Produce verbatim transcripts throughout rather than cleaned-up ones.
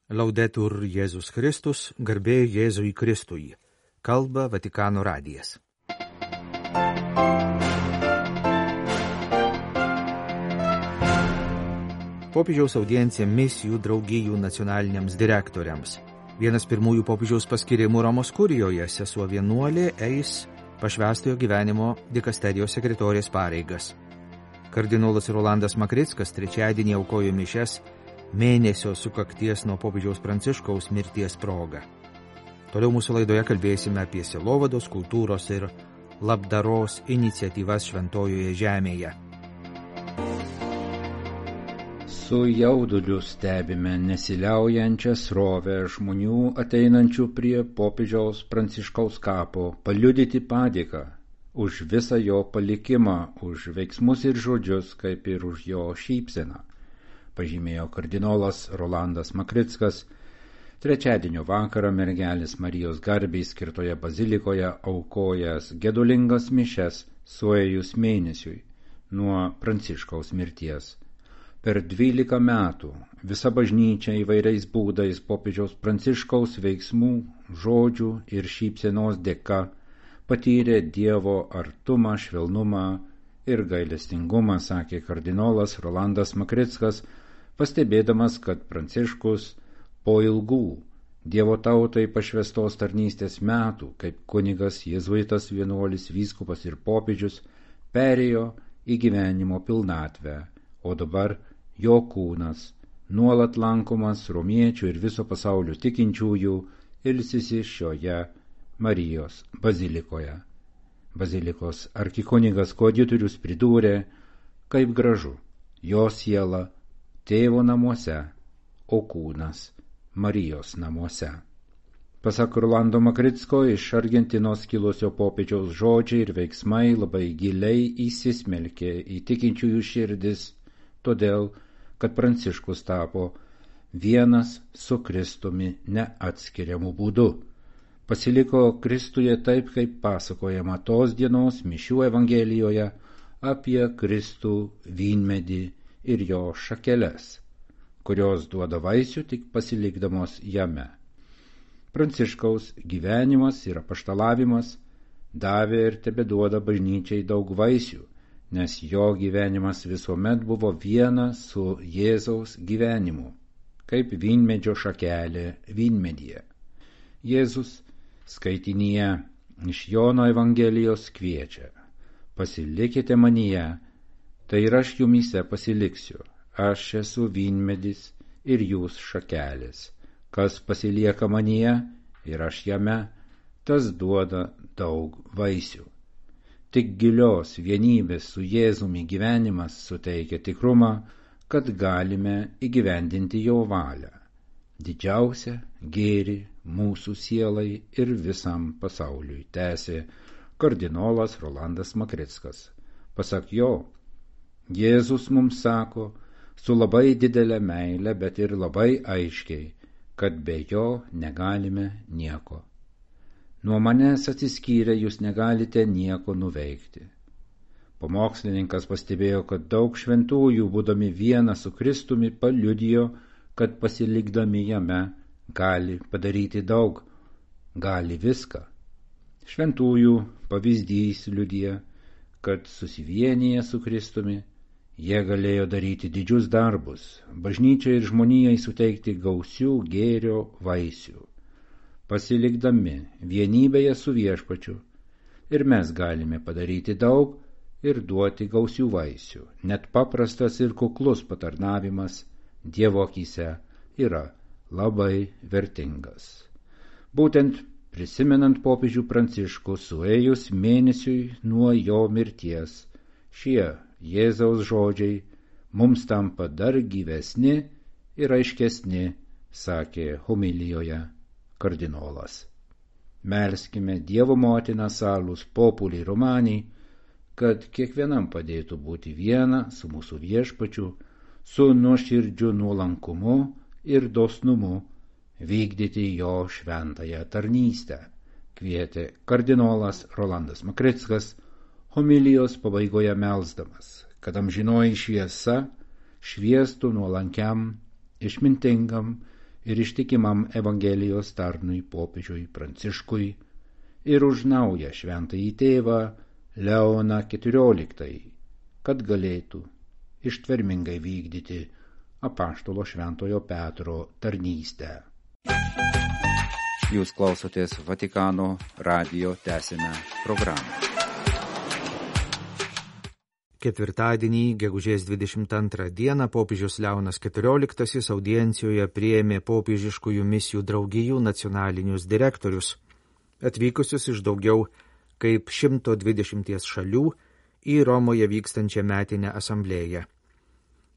Laudetur Jėzus Kristus, garbė Jėzui Kristui. Kalba Vatikano radijas. Popiežiaus audiencija misijų draugijų nacionaliniams direktoriams. Vienas pirmųjų popiežiaus paskirimų Romos kurijoje sesuo vienuolė eis pašvęstojo gyvenimo dikasterijos sekretorės pareigas. Kardinolas Rolandas Makrickas trečiadienį aukojo mišias mėnesio sukakties nuo popiežiaus Pranciškaus mirties proga. Toliau mūsų laidoje kalbėsime apie sielovados, kultūros ir labdaros iniciatyvas Šventojoje žemėje. Su jauduliu stebime nesiliaujančią srovę žmonių ateinančių prie popiežiaus Pranciškaus kapo paliudyti padėką už visą jo palikimą, už veiksmus ir žodžius, kaip ir už jo šypseną, pažymėjo kardinolas Rolandas Makrickas trečiadienio vakarą Mergelės Marijos garbei skirtoje bazilikoje aukojęs gedulingas mišias suėjus mėnesiui nuo Pranciškaus mirties. Per dvylika metų visa bažnyčia įvairiais būdais popiežiaus Pranciškaus veiksmų, žodžių ir šypsenos dėka patyrė Dievo artumą, švelnumą ir gailestingumą, sakė kardinolas Rolandas Makrickas, pastebėdamas, kad Pranciškus po ilgų Dievo tautai pašvęstos tarnystės metų, kaip kunigas, jėzuitas, vienuolis, vyskupas ir popiežius, perėjo į gyvenimo pilnatvę, o dabar jo kūnas, nuolat lankomas romiečių ir viso pasaulio tikinčiųjų, ilsisi šioje Marijos bazilikoje. Bazilikos arkikunigas koadjutorius pridūrė, kaip gražu, jo siela Tėvo namuose, o kūnas Marijos namuose. Pasak Rolando Makricko, iš Argentinos kilusio popiežiaus žodžiai ir veiksmai labai giliai įsismelkė į tikinčiųjų širdis, todėl, kad Pranciškus tapo vienas su Kristumi neatskiriamu būdu. Pasiliko Kristuje taip, kaip pasakojama tos dienos mišių evangelijoje apie Kristų vynmedį ir jo šakeles, kurios duoda vaisių tik pasilikdamos jame. Pranciškaus gyvenimas ir apaštalavimas davė ir tebeduoda bažnyčiai daug vaisių, nes jo gyvenimas visuomet buvo viena su Jėzaus gyvenimu, kaip vynmedžio šakelė vynmedyje. Jėzus skaitinyje iš Jono Evangelijos kviečia: pasilikite manyje, tai ir aš jumyse pasiliksiu, aš esu vynmedis ir jūs šakelės. Kas pasilieka manyje ir aš jame, tas duoda daug vaisių. Tik gilios vienybės su Jėzumi gyvenimas suteikia tikrumą, kad galime įgyvendinti jo valią, didžiausią gėrį mūsų sielai ir visam pasauliui, tęsė kardinolas Rolandas Makrickas. Pasak jo, Jėzus mums sako su labai didelė meile, bet ir labai aiškiai, kad be jo negalime nieko. Nuo manęs atsiskyrę jūs negalite nieko nuveikti. Pamokslininkas pastebėjo, kad daug šventųjų, būdami viena su Kristumi, paliudijo, kad pasilikdami jame gali padaryti daug, gali viską. Šventųjų pavyzdys liudija, kad susivienyje su Kristumi jie galėjo daryti didžius darbus, bažnyčiai ir žmonijai suteikti gausių gėrio vaisių. Pasilikdami vienybėje su Viešpačiu, ir mes galime padaryti daug ir duoti gausių vaisių. Net paprastas ir kuklus patarnavimas Dievo akyse yra labai vertingas. Būtent prisimenant popiežių Pranciškų suėjus mėnesiui nuo jo mirties, šie Jėzaus žodžiai mums tampa dar gyvesni ir aiškesni, sakė homilijoje kardinolas. Melskime Dievo motiną Salus Populi Romani, kad kiekvienam padėtų būti viena su mūsų Viešpačiu, su nuoširdžiu nuolankumu ir dosnumu vykdyti jo šventąją tarnystę, kvietė kardinolas Rolandas Makrickas, homilijos pabaigoje melsdamas, kad amžinoji šviesa šviestų nuolankiam, išmintingam ir ištikimam Evangelijos tarnui popiežiui Pranciškui ir už naują šventąjį tėvą Leoną keturioliktąjį, kad galėtų ištvermingai vykdyti apaštalo Šventojo Petro tarnystę. Jūs klausotės Vatikano radijo tęsinę programą. Ketvirtadienį, gegužės dvidešimt antrą dieną, popiežius Leonas keturioliktasis audiencijoje priėmė popiežiškųjų misijų draugijų nacionalinius direktorius, atvykusius iš daugiau kaip šimto dvidešimties šalių į Romoje vykstančią metinę asamblėją.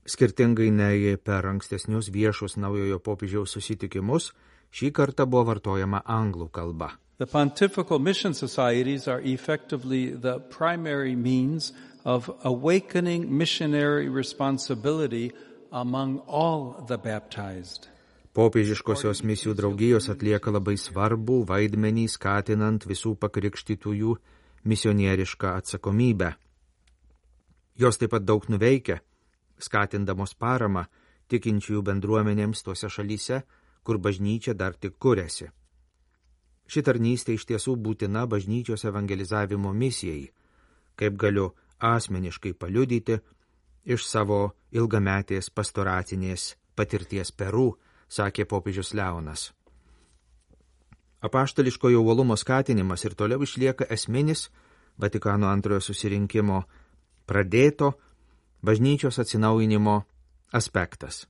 Skirtingai nei per ankstesnius viešus naujojo popiežiaus susitikimus, šį kartą buvo vartojama anglų kalba. The Pontifical Mission Societies are effectively the primary means of awakening missionary responsibility among all the baptized. Popiežiškosios misijų draugijos atlieka labai svarbų vaidmenį skatinant visų pakrikštytųjų misionierišką atsakomybę. Jos taip pat daug nuveikia, skatindamos paramą tikinčiųjų bendruomenėms tose šalyse, kur bažnyčia dar tik kuriasi. Ši tarnystė iš tiesų būtina bažnyčios evangelizavimo misijai, kaip galiu asmeniškai paliudyti iš savo ilgametės pastoracinės patirties Peru, sakė popiežius Leonas. Apaštališkojo uolumo skatinimas ir toliau išlieka esminis Vatikano antrojo susirinkimo pradėto bažnyčios atsinaujinimo aspektas.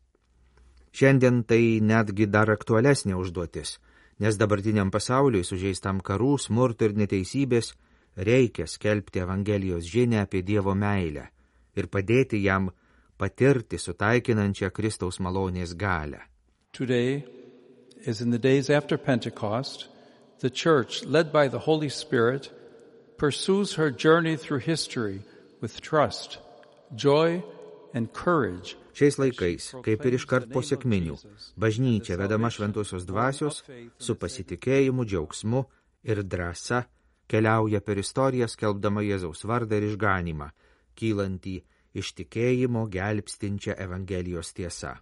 Šiandien tai netgi dar aktualesnė užduotis, nes dabartiniam pasauliui sužeistam karų, smurto ir neteisybės reikia skelbti Evangelijos žinią apie Dievo meilę ir padėti jam patirti sutaikinančią Kristaus malonės galią. Today, as in the days after Pentecost, the Church, led by the Holy Spirit, pursues her journey through history with trust, joy, and courage. Šiais laikais, kaip ir iškart po sekminių, bažnyčia vedama šventosios dvasios su pasitikėjimu, džiaugsmu ir drąsa keliauja per istoriją skelbdama Jėzaus vardą ir išganymą, kylantį iš tikėjimo gelbstinčią Evangelijos tiesą.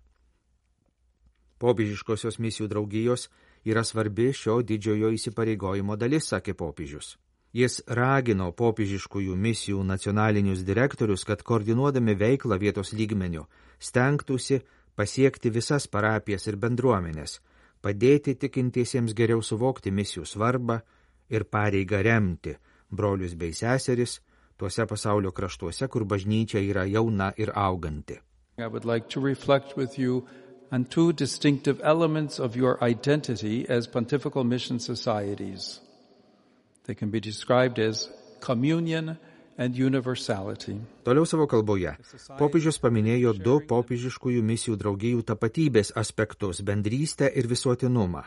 Popiežiškosios misijų draugijos yra svarbi šio didžiojo įsipareigojimo dalis, sakė popiežius. Jis ragino popiežiškųjų misijų nacionalinius direktorius, kad koordinuodami veiklą vietos lygmeniu stengtųsi pasiekti visas parapijas ir bendruomenės, padėti tikintiesiems geriau suvokti misijų svarbą ir pareigą remti brolius bei seseris tuose pasaulio kraštuose, kur bažnyčia yra jauna ir auganti. I would like to reflect with you on two distinctive elements of your identity as Pontifical Mission Societies. They can be described as communion and universality. Toliau savo kalboje popiežius paminėjo du popiežiškųjų misijų draugijų tapatybės aspektus – bendrystę ir visuotinumą.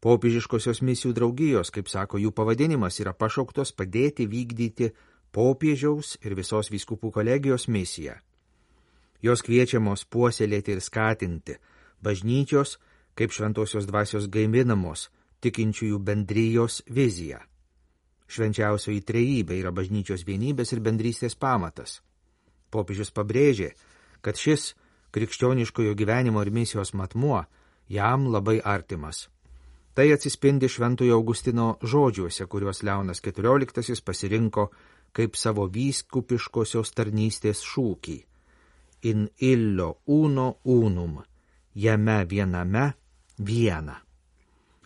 Popiežiškosios misijų draugijos, kaip sako jų pavadinimas, yra pašauktos padėti vykdyti popiežiaus ir visos vyskupų kolegijos misiją. Jos kviečiamos puoselėti ir skatinti bažnyčios, kaip šventosios dvasios gaivinamos, tikinčiųjų bendrijos viziją. Švenčiausioji trejybė yra bažnyčios vienybės ir bendrystės pamatas. Popiežius pabrėžė, kad šis krikščioniškojo gyvenimo ir misijos matmuo jam labai artimas. Tai atsispindi Šventojo Augustino žodžiuose, kuriuos Leonas keturioliktasis pasirinko kaip savo vyskupiškosios tarnystės šūkį. In illo uno unum, jame viename viena.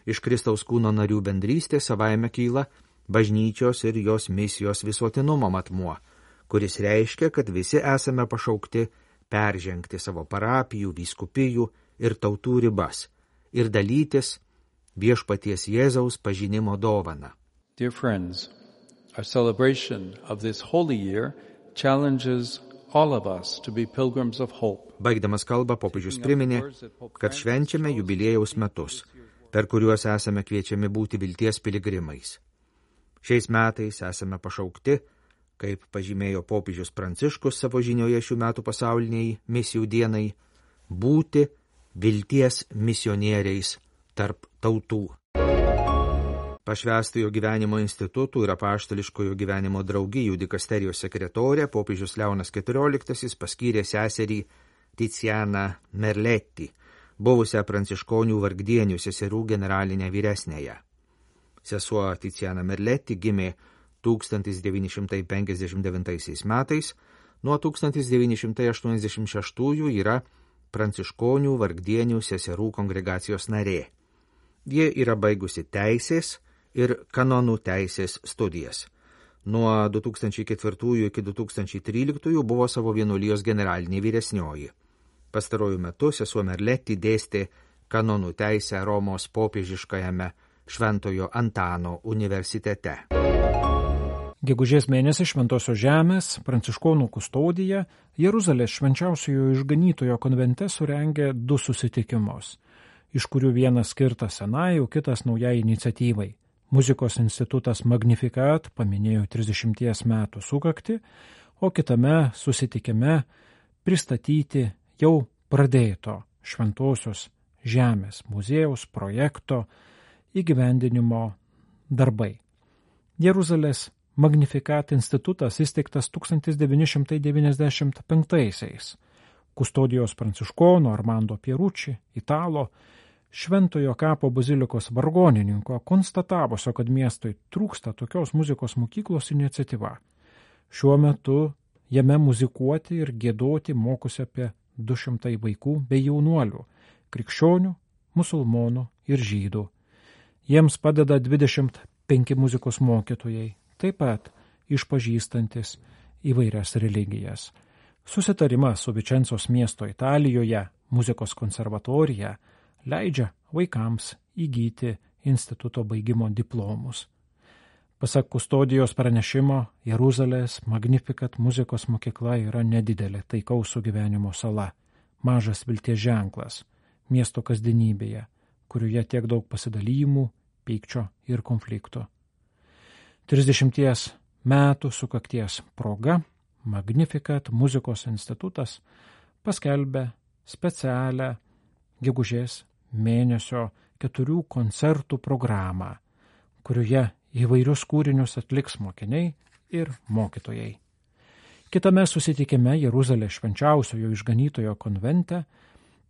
Iš Kristaus kūno narių bendrystės savaime kyla bažnyčios ir jos misijos visuotinumo matmuo, kuris reiškia, kad visi esame pašaukti peržengti savo parapijų, vyskupijų ir tautų ribas ir dalytis viešpaties Jėzaus pažinimo dovaną. Dear friends, our celebration of this holy year challenges all of us to be pilgrims of hope. Baigdamas kalbą, popiežius priminė, kad švenčiame jubiliejaus metus, per kuriuos esame kviečiami būti vilties piligrimais. Šiais metais esame pašaukti, kaip pažymėjo popiežius Pranciškus savo žinioje šių metų pasauliniai misijų dienai, būti vilties misionieriais tarp tautų. Pašvęstojo gyvenimo institutų ir apaštališkojo gyvenimo draugijų dikasterijos sekretorė popiežius Leonas keturioliktasis paskyrė seserį Tizianą Merletti buvusią pranciškonių vargdienių seserų generalinę vyresnėją. Sesuo Tiziana Merletti gimė tūkstantis devyni šimtai penkiasdešimt devintaisiais metais, nuo tūkstantis devyni šimtai aštuoniasdešimt šeštųjų yra pranciškonių vargdienių seserų kongregacijos narė. Ji yra baigusi teisės ir kanonų teisės studijas. Nuo du tūkstančiai ketvirtųjų iki du tūkstančiai tryliktųjų buvo savo vienuolijos generalinė vyresnioji. Pastarojų metu sesuo Merletti dėstė kanonų teisę Romos popiežiškajame Šventojo Antano universitete. Gegužės mėnesį Šventosios Žemės pranciškonų kustodija Jeruzalės švenčiausiojo išganytojo konvente surengė du susitikimus, iš kurių vienas skirtas senai, o kitas naujai iniciatyvai. Muzikos institutas Magnificat paminėjo trisdešimties metų sukaktį, o kitame susitikime pristatyti jau pradėto Šventosios Žemės muziejaus projekto įgyvendinimo darbai. Jeruzalės Magnificat institutas įsteigtas tūkstantis devyni šimtai devyniasdešimt penktaisiais. Kustodijos pranciškono Armando Pierucci, italo, Šventojo kapo bazilikos vargonininko konstatavusio, kad miestui trūksta tokios muzikos mokyklos iniciatyva. Šiuo metu jame muzikuoti ir giedoti mokosi apie du šimtai vaikų bei jaunuolių, krikščionių, musulmonų ir žydų. Jiems padeda dvidešimt penki muzikos mokytojai, taip pat išpažįstantis įvairias religijas. Susitarimas su Vičencos miesto Italijoje muzikos konservatorija leidžia vaikams įgyti instituto baigimo diplomus. Pasak kustodijos pranešimo, Jeruzalės Magnificat muzikos mokykla yra nedidelė taikaus sugyvenimo sala, mažas vilties ženklas miesto kasdienybėje, kurioje tiek daug pasidalymų, pykčio ir konflikto. trisdešimties metų sukakties proga Magnificat muzikos institutas paskelbė specialią gegužės mėnesio keturių koncertų programą, kurioje įvairius kūrinius atliks mokiniai ir mokytojai. Kitame susitikime Jeruzalės švenčiausiojo išganytojo konvente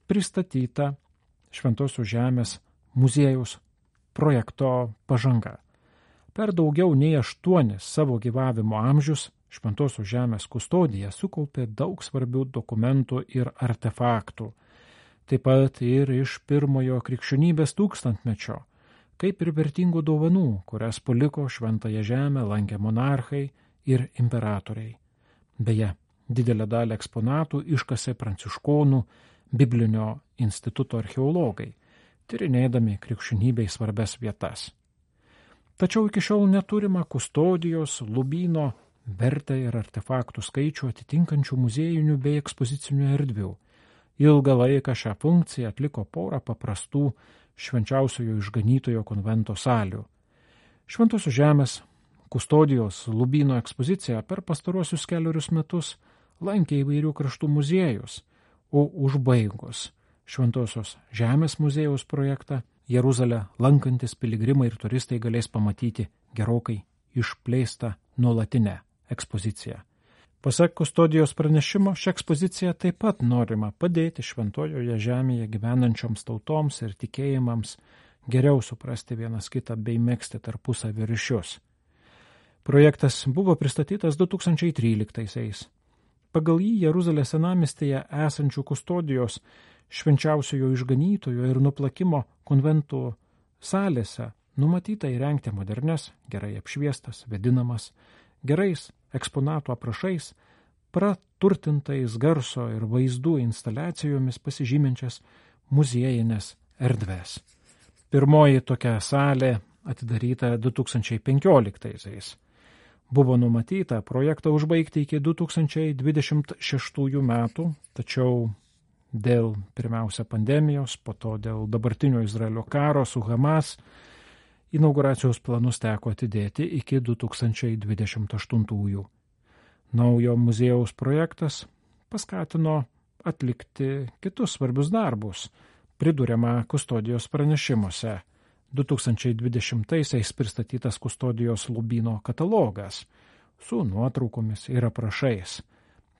pristatyta Šventosios Žemės muziejaus projekto pažanga. Per daugiau nei aštuonis savo gyvavimo amžius Šventosios Žemės kustodija sukaupė daug svarbių dokumentų ir artefaktų, taip pat ir iš pirmojo krikščionybės tūkstantmečio, kaip ir vertingų dovanų, kurias paliko Šventąją Žemę lankę monarchai ir imperatoriai. Beje, didelę dalį eksponatų iškasė pranciškonų biblinio instituto archeologai, tyrinėdami krikščionybei svarbias vietas. Tačiau iki šiol neturima kustodijos, lubyno, vertę ir artefaktų skaičių atitinkančių muziejinių bei ekspozicinių erdvių. Ilgą laiką šią funkciją atliko porą paprastų Švenčiausiojo išganytojo konvento salių. Šventosios Žemės kustodijos lubyno ekspoziciją per pastaruosius keliarius metus lankė įvairių kraštų muziejus, o užbaigus Šventosios Žemės muziejaus projektą Jeruzalę lankantis piligrimai ir turistai galės pamatyti gerokai išplėstą nuolatinę ekspoziciją. Pasak kustodijos pranešimo, šią ekspoziciją taip pat norima padėti Šventojoje Žemėje gyvenančioms tautoms ir tikėjimams geriau suprasti vienas kitą bei megzti tarpusavio ryšius. Projektas buvo pristatytas du tūkstančiai tryliktaisiais. Pagal jį Jeruzalės senamiestyje esančių kustodijos Švenčiausiojo išganytojo ir nuplakimo konventų salėse numatyta įrengti modernes, gerai apšviestas, vėdinamas, gerais eksponatų aprašais, praturtintais garso ir vaizdų instaliacijomis pasižyminčias muziejinės erdves. Pirmoji tokia salė atidaryta du tūkstančiai penkioliktaisiais. Buvo numatyta projektą užbaigti iki du tūkstančiai dvidešimt šeštųjų metų, tačiau dėl pirmiausia pandemijos, po to dėl dabartinio Izraelio karo su Hamas, inauguracijos planus teko atidėti iki du tūkstančiai dvidešimt aštuntųjų. Naujo muziejaus projektas paskatino atlikti kitus svarbius darbus, priduriama kustodijos pranešimuose. du tūkstančiai dvidešimtaisiais pristatytas kustodijos lubyno katalogas su nuotraukomis ir aprašais,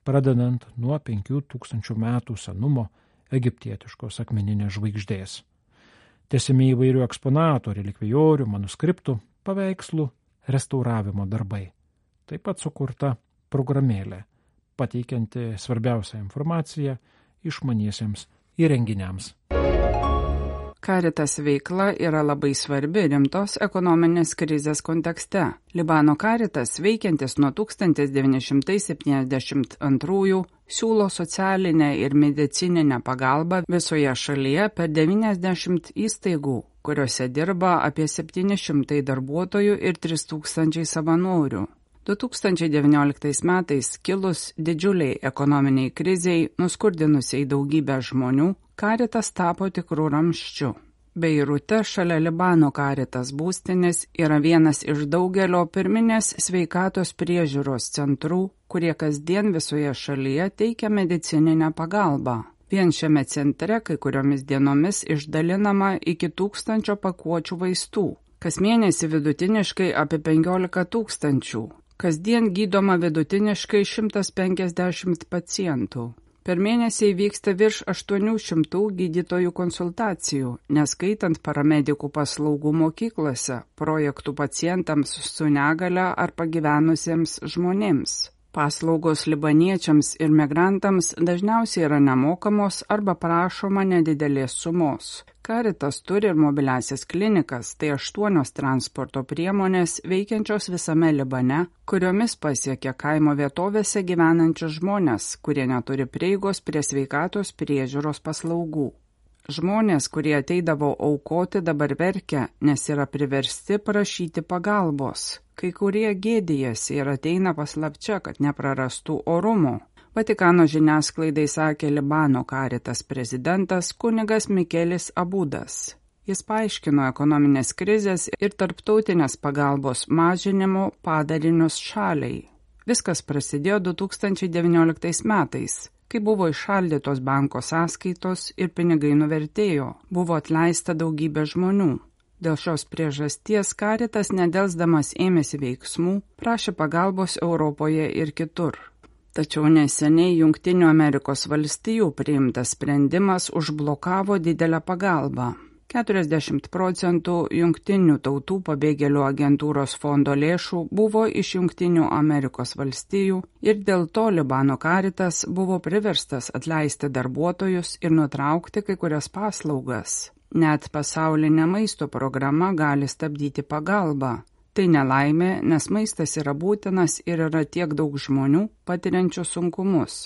pradedant nuo penkių tūkstančių metų senumo egiptietiškos akmeninės žvaigždės. Tęsiami įvairių eksponatų, relikvijorių, manuskriptų, paveikslų, restauravimo darbai. Taip pat sukurta programėlė, pateikianti svarbiausią informaciją išmaniesiems įrenginiams. Caritas veikla yra labai svarbi rimtos ekonominės krizės kontekste. Libano Caritas, veikiantis nuo tūkstantis devyni šimtai septyniasdešimt antrųjų, siūlo socialinę ir medicininę pagalbą visoje šalyje per devyniasdešimt įstaigų, kuriuose dirba apie septyni šimtai darbuotojų ir trys tūkstančiai savanorių. du tūkstančiai devynioliktais metais kilus didžiuliai ekonominiai kriziai, nuskurdinusiai daugybę žmonių, Caritas tapo tikrų ramščių. Beirute šalia Libano Caritas būstinės yra vienas iš daugelio pirminės sveikatos priežiūros centrų, kurie kasdien visoje šalyje teikia medicininę pagalbą. Vien šiame centre kai kuriomis dienomis išdalinama iki tūkstančio pakuočių vaistų. Kas mėnesį vidutiniškai apie penkiolika tūkstančių. Kasdien gydoma vidutiniškai šimtas penkiasdešimt pacientų. Per mėnesį vyksta virš aštuonių šimtų gydytojų konsultacijų, neskaitant paramedikų paslaugų mokyklose, projektų pacientams su negale ar pagyvenusiems žmonėms. Paslaugos libaniečiams ir migrantams dažniausiai yra nemokamos arba prašoma nedidelės sumos. Caritas turi ir mobiliasias klinikas, tai aštuonios transporto priemonės veikiančios visame Libane, kuriomis pasiekia kaimo vietovėse gyvenančius žmonės, kurie neturi prieigos prie sveikatos priežiūros paslaugų. Žmonės, kurie ateidavo aukoti, dabar verkia, nes yra priversti prašyti pagalbos. Kai kurie gėdijasi ir ateina paslapčia, kad neprarastų orumo. Vatikano žiniasklaidai sakė Libano Caritas prezidentas kunigas Mikelis Abudas. Jis paaiškino ekonominės krizės ir tarptautinės pagalbos mažinimo padarinius šaliai. Viskas prasidėjo du tūkstančiai devynioliktais metais, kai buvo iššaldytos banko sąskaitos ir pinigai nuvertėjo, buvo atleista daugybė žmonių. Dėl šios priežasties Caritas nedelsdamas ėmėsi veiksmų, prašė pagalbos Europoje ir kitur. Tačiau neseniai Jungtinių Amerikos valstijų priimtas sprendimas užblokavo didelę pagalbą. keturiasdešimt procentų Jungtinių tautų pabėgėlių agentūros fondo lėšų buvo iš Jungtinių Amerikos valstijų ir dėl to Libano Caritas buvo priverstas atleisti darbuotojus ir nutraukti kai kurias paslaugas. Net pasaulinė maisto programa gali stabdyti pagalbą. Tai nelaimė, nes maistas yra būtinas ir yra tiek daug žmonių patiriančių sunkumus.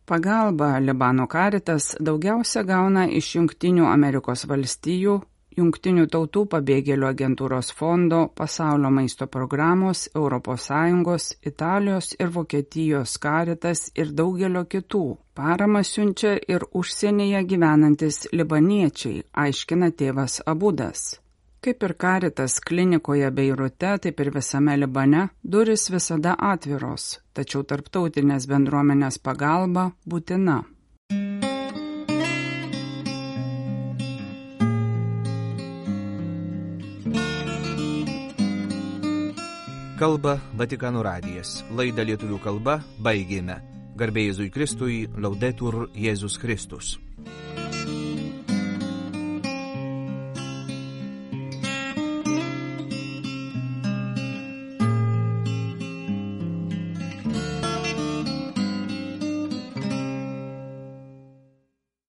Pagalba Libano Caritas daugiausia gauna iš Jungtinių Amerikos valstijų, Jungtinių tautų pabėgėlių agentūros fondo, pasaulio maisto programos, Europos Sąjungos, Italijos ir Vokietijos Caritas ir daugelio kitų. Paramą siunčia ir užsienyje gyvenantis libaniečiai, aiškina tėvas Abudas. Kaip ir Caritas klinikoje Beirute, taip ir visame Libane, durys visada atviros, tačiau tarptautinės bendruomenės pagalba būtina. Kalba Vatikano radijas. Laidą lietuvių kalba baigėme. Garbė Jėzui Kristui, Laudetur Jėzus Kristus.